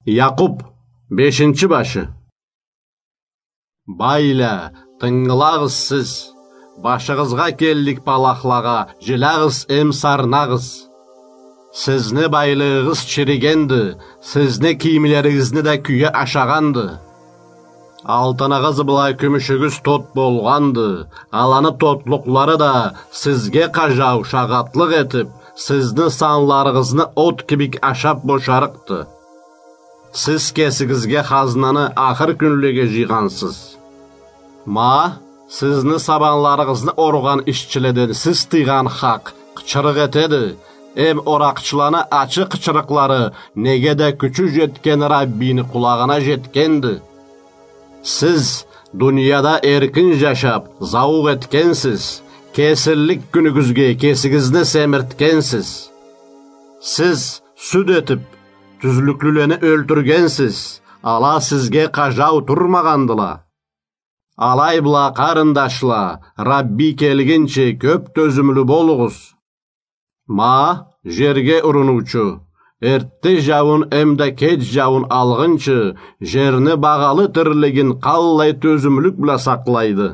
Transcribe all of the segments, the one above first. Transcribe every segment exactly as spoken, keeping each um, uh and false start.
Якъуб, бешинчи башы. Байла, тынгылагъыз сиз. Башыгъызгъа келлик палахлагъа жилягъыз эм сарнагъыз. Сизни байлыгъыгъыз чиригенди, сизни кийимлеригизни да кюе ашагъанды. Алтыныгъыз бла кюмюшюгюз тот болгъанды, аланы тотлукълары да сизге къажау шагъатлыкъ этиб, сизни санларыгъызны от кибик ашаб бошарыкъды. Сиз кесигизге хазнаны ахыр кюнлеге жыйгъансыз. Ма, сизни сабанларыгъызны оргъан ишчиледен сиз тыйгъан хакъ къычырыкъ этеди, эм оракъчыланы ачы къычырыкълары неге да кючю жетген Раббини къулагъына жетгенди. Сиз дунияда эркин жашаб, зауукъ этгенсиз, кесинлик кюнюгюзге кесигизни семиртгенсиз. Сиз сюд этиб, тюзлюклюлени ёлтюргенсиз, ала сизге къажау турмагъандыла. Алай бла, къарындашла, Рабби келгинчи кёб тёзюмлю болугъуз. Ма, жерге урунуучу, эртде жауун эмда кеч жауун алгъынчы, жерни багъалы тирлигин къаллай тёзюмлюк бла сакълайды.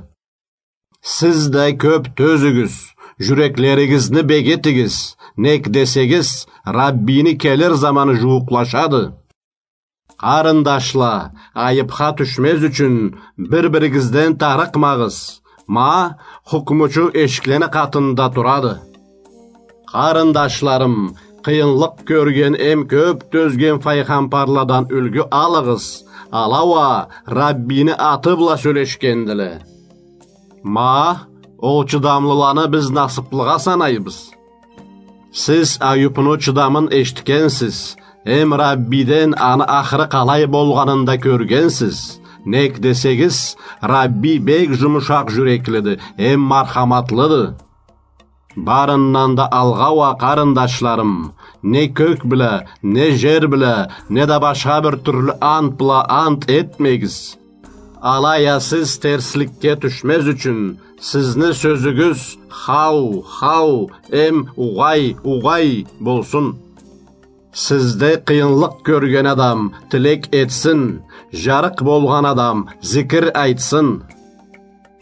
Сиз да кёб тёзюгюз, жюреклеригизни бегитигиз, нек десегиз, Раббини келир заманы жууукълашады. Къарындашла, айыбха тюшмез ючюн бир-биригизден тарыкъмагъыз. Ма, хукмучу эшиклени къатында турады. Къарындашларым, къыйынлыкъ кёрген эм кёб тёзген файгъамбарладан юлгю алыгъыз. Ала уа Раббини аты бла сёлешгендиле. Ма, ол чыдамлыланы биз насыблыгъа санайбыз. Сиз Аюбну чыдамын эшитгенсиз, эм Раббиден аны ахыры къалай болгъанын да кёргенсиз. Нек десегиз, Рабби бек жумушакъ жюреклиди, эм мархаматлыды. Барындан да алгъа уа, къарындашларым, не кёк бла, не жер бла, не да башха бир тюрлю ант бла ант этмегиз. Алай а сиз терсликге тюшмез ючюн, сизни сёзюгюз хау, хау, эм угъай, угъай болсун. Сизде къыйынлыкъ кёрген адам тилек этсин, жарыкъ болгъан адам зикир айтсын.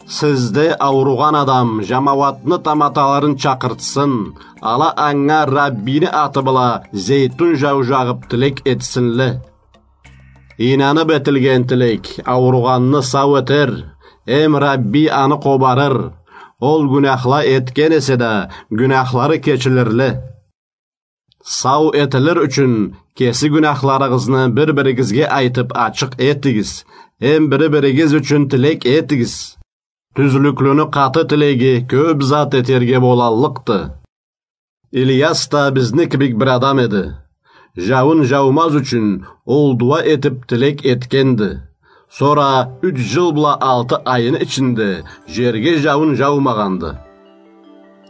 Сизде ауругъан адам жамауатны таматаларын чакъыртсын, ала анга Раббини аты бла зейтун жау жагъыб тилек этсинле. Ийнаныб этилген тилек ауругъанны сау этер, эм Рабби аны къобарыр. Ол гюнахла этген эсе да, гюнахлары кечилирле. Сау этилир ючюн кеси гюнахларыгъызны бир-биригизге айтыб ачыкъ этигиз, эм бири-биригиз ючюн тилек этигиз. Тюзлюклюню къаты тилеги кёб зат этерге болаллыкъды. Ильяс да бизни кибик бир адам эди. Жауун жаумаз ючюн ол дуа этиб тилек этгенди. Сора юч жыл бла алты айны ичинде жерге жауун жаумагъанды.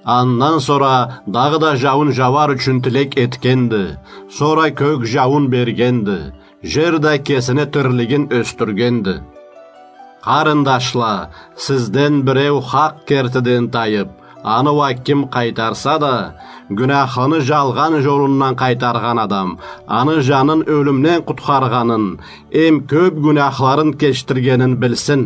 Андан сора дагъыда жауун жауар ючюн тилек этгенди. Сора кёк жауун бергенди. Жер да кесини тирлигин ёсдюргенди. Къарындашла, сизден биреу хакъ кертиден тайыб, аны уа ким къайтарса да, гюнахлыны жалгъан жолундан къайтаргъан адам аны жанын ёлюмден къутхаргъанын, эм кёб гюнахларын кечдиргенин билсин.